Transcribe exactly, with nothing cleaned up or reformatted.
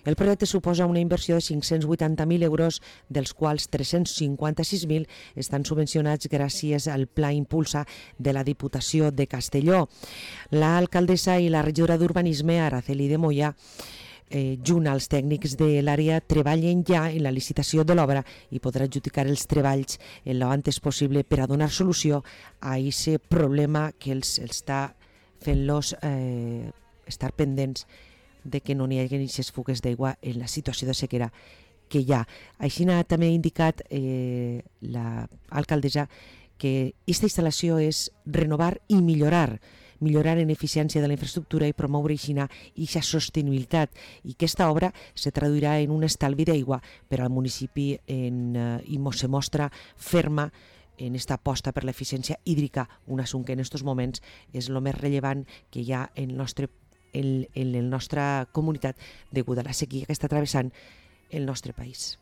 El projecte suposa una inversió de cinc-cents vuitanta mil euros, dels quals tres-cents cinquanta-sis mil estan subvencionats gràcies al Pla Impulsa de la Diputació de Castelló. L'alcaldessa i la regidora d'Urbanisme, Araceli de Moya, eh, junt als tècnics de l'àrea, treballen ja en la licitació de l'obra i podrà adjudicar els treballs en l'antes possible per a donar solució a aquest problema que els està fent-los eh, estar pendents de que no n'hi hagi aquestes fugues d'aigua en la situació de sequera que hi ha. Així també ha indicat eh, l'alcaldessa que aquesta instal·lació és renovar i millorar, millorar en eficiència de la infraestructura i promoure aquesta sostenibilitat, i aquesta obra se traduirà en un estalvi d'aigua per al municipi en, eh, i se mostra ferma en esta aposta per l'eficiència hídrica, un assumpte que en aquests moments és el més rellevant que hi ha en el nostre En, en la nostra comunitat degut a la sequia que està travessant el nostre país.